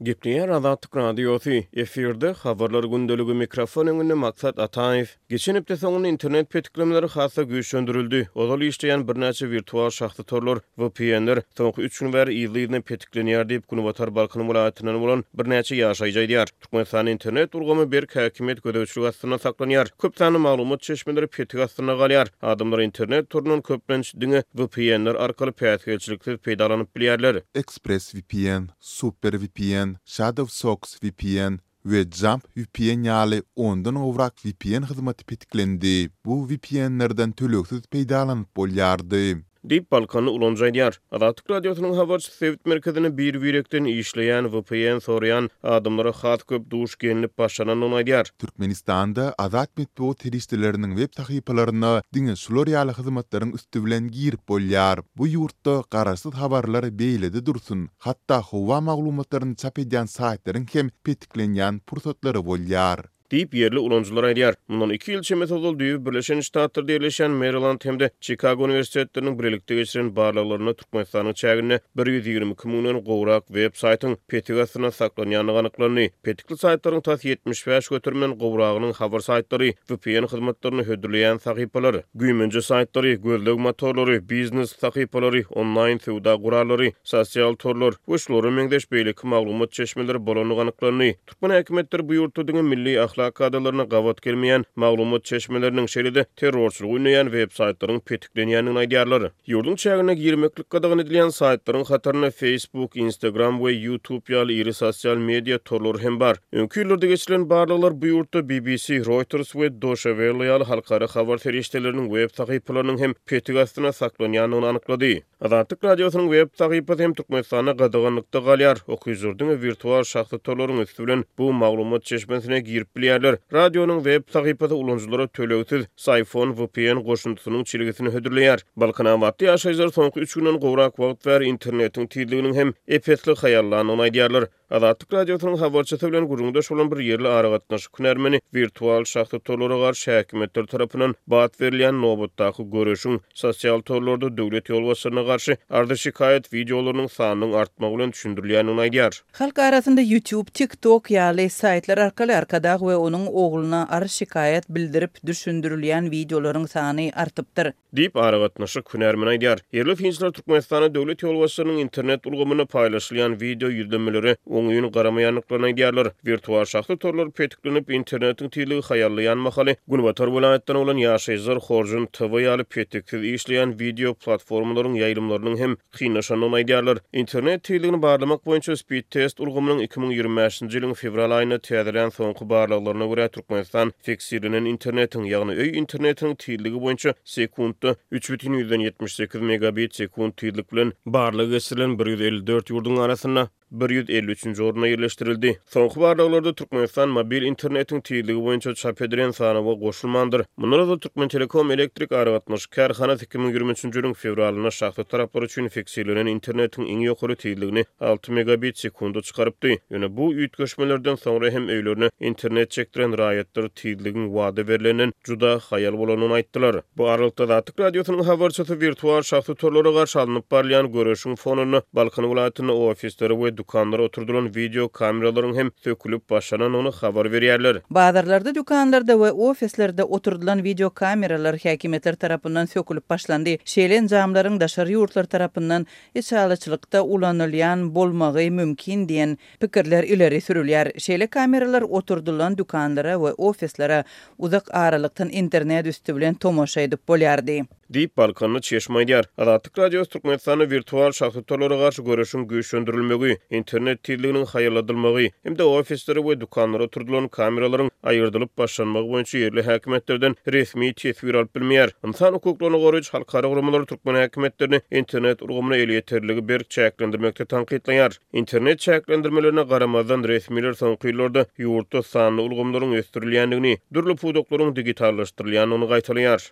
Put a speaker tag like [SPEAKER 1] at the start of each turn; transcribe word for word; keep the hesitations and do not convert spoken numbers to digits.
[SPEAKER 1] Gepleýär Azatlyk Radiosy, efirde Habarlar gündeligi, mikrofon öňünde Maksat Ataýew. Geçen hepde soňunda internet petiklemeleri has-da güýçlendirildi. Ozal işleýän birnäçe wirtual şahsy torlar, V P N-ler soňky üç gün bäri yzly-yzyna petiklenýär diýip, Günbatar Balkan welaýatyndan bolan birnäçe ýaşaýjy aýdýar. Türkmenistanda internet ulgamy berk häkimiýet gözegçiligi astynda saklanýar. Köp sanly maglumat çeşmeleri petik astynda galýar. Adamlar internet torundan köplenç diňe V P N-ler arkaly päsgelçiliksiz peýdalanyp bilýärler.
[SPEAKER 2] ExpressVPN, SuperVPN, ShadowSocks V P N we Jump V P N ýaly ondan gowrak V P N hyzmaty petiklendi. Bu V P N-lerden tölegsiz peýdalanyp bolýardy.
[SPEAKER 1] Diýip, Balkanly ulanyjy aýdýar. Azatlyk Radiosynyň habarçysy sebit merkezinde bir-birekden işleýän V P N soraýan adamlara has köp duş gelinip başlanandygyny aýdýar.
[SPEAKER 2] Türkmenistanda azat metbugat serişdeleriniň web sahypalaryna diňe şular ýaly hyzmatlaryň üsti bilen girip bolýar. Bu ýurtda garaşsyz habarlar beýlede dursun, hatda howa maglumatlaryny çap edýän saýtlaryň hem petiklenýän pursatlary bolýar.
[SPEAKER 1] Diýip, ýerli ulanyjylar aýdýar. Mundan iki ýyl çemesi ozal düýbi Birleşen Ştatlarda ýerleşýän Maryland hem-de Çikago uniwersitetleriniň birlikde geçiren barlaglarynda Türkmenistanyň çäginde bir ýüz ýigrimi iki müňden gowrak web saýtyň petik astynda saklanýandygy anyklandy. Petikli saýtlaryň tas ýetmiş bäş göterimden gowragynyň habar saýtlary, V P N hyzmatlaryny hödürleýän sahypalar, güýmenje saýtlary, gözleg motorlary, biznes sahypalary, onlaýn söwda gurallary, sosial torlar we şulara meňzeş beýleki maglumat çeşmeleri bolandygy anyklandy. Türkmen häkimiýetleri bu ýurtda diňe milli ahlak kadalaryna gabat gelmeýän maglumat çeşmeleriniň, şeýle-de terrorçylygy ündeýän web saýtlaryň petiklenýändigini aýdýarlar. Ýurduň çägine girmeklik gadagan edilýän saýtlaryň hatarynda Facebook, Instagram we YouTube ýaly iri sosial media torlary hem bar. Öňki ýyllarda geçirilen barlaglar bu ýurtda B B C, Reuters we Deutsche Welle ýaly halkara habar serişdeleriniň web sahypalarynyň hem petik astynda saklanýandygyny anyklady. Azatlyk Radiosynyň web sahypasy hem Türkmenistanda gadaganlykda galýar. Okyjylar diňe wirtual şahsy torlaryň üsti bilen bu maglumat çeşmesine girip bilýärler. Radionyň web sahypasy ulanyjylara tölegsiz Psiphon V P N goşundysynyň çelgisini hödürleýär. Balkanabatly ýaşaýjylar soňky üç günden gowrak wagt bäri internetiň tizliginiň hem ep-esli haýallandygyny aýdýarlar. Azatlyk Radiosynyň habarçysy bilen gürrüňdeş bolan bir ýerli aragatnaşyk hünärmeni wirtual şahsy torlara garşy häkimiýetler tarapyndan bat berilýän nobatdaky göreşiň sosial torlarda döwlet ýolbaşçylaryna garşy arza-şikaýat wideolarynyň sanynyň artmagy bilen düşündirilýändigini aýdýar.
[SPEAKER 3] Halk arasynda YouTube, TikTok ýaly saýtlar arkaly Arkadag we onuň ogluna arz-şikaýat bildirip düşündirilýän wideolaryň sany artypdyr.
[SPEAKER 1] Diýip, aragatnaşyk hünärmeni aýdýar. Ýerli synçylar Türkmenistanda döwlet ýolbaşçylarynyň internet ulgamynda paýlaşylýan wideo ýüzlenmelere oňyn garamaýandyklaryny aýdýarlar. Wirtual şahsy torlar petiklenip, internetiň tizligi haýallaýan mahaly Günbatar welaýatdan bolan ýaşaýjylar Horjun T V ýaly petiksiz işleýän wideo platformalaryň ýaýlymlarynyň hem kynlaşandygyny aýdýarlar. Internet tizligini barlamak boýunça Speed Test ulgamynyň iki müň ýigrimi bäşinji ýylyň fewral aýynda täzelän soňky barlaglaryna görä, Türkmenistan fiksirlenen internetiň, ýagny öý internetiniň tizligi boýunça sekuntda üç bütin ýüzden ýetmiş sekiz megabit sekunt tizlik bilen barlag geçirilen bir ýüz elli dört ýurduň arasynda bir ýüz elli üçünji oruna ýerleşdirildi. Soňky barlaglarda Türkmenistan mobil internetiň tizligi boýunça çap edilen sanawa goşulmandyr. Mundan ozal Türkmen Telekom elektrik aragatnaşyk kärhanasy iki müň ýigrimi üçünji ýylyň fewralynda şahsy taraplar üçin fiksirlenen internetiň iň ýokary tizligini alty megabit sekunda çykarypdy. Ýöne bu üýtgeşmelerden soňra hem öýlerine internet çekdiren raýatlar tizligiň wada berilenden juda haýal bolanyny aýtdylar. Bu aralykda Azatlyk Radiosynyň habarçysy wirtual şahsy torlara garşy alnyp barylýan göreşiň fonunda Balkan welaýatynda ofislere we dükanlara oturdylan wideo kameralaryň hem sökülip başlanandygyny habar berýärler.
[SPEAKER 3] Bazarlarda, dükanlarda we ofislerde oturdylan wideo kameralar häkimiýetler tarapyndan sökülip başlandy. Şeýle enjamlaryň daşary ýurtlar tarapyndan içalyçylykda ulanylýan bolmagy mümkin diýen pikirler ileri sürülýär. Şeýle kameralar oturdylan dükanlara we ofislere uzak aralykdan internet üstü bilen tomaşa edip bolýardy.
[SPEAKER 1] Diýip, Balkanly çeşme aýdýar. Azatlyk Radiosy Türkmenistanda wirtual şahsy torlara garşy göreşiň güýçlendirilmegi, internet tizliginiň haýalladylmagy hem-de ofislere we dükanlara oturdylan kameralaryň aýyrdylyp başlanmagy boýunça ýerli häkimiýetlerden resmi teswir alyp bilmeýär. Ynsan hukuklaryny goraýjy halkara guramalary türkmen häkimiýetlerini internet ulgamyna elýeterligi berk çäklendirmekde tankytlaýar. Internet çäklendirmelerine garamazdan, resmiler soňky ýyllarda ýurtda sanly ulgamlaryň ösdürilýändigini, dürli pudaklaryň digitallaşdyrylýandygyny gaýtalaýar.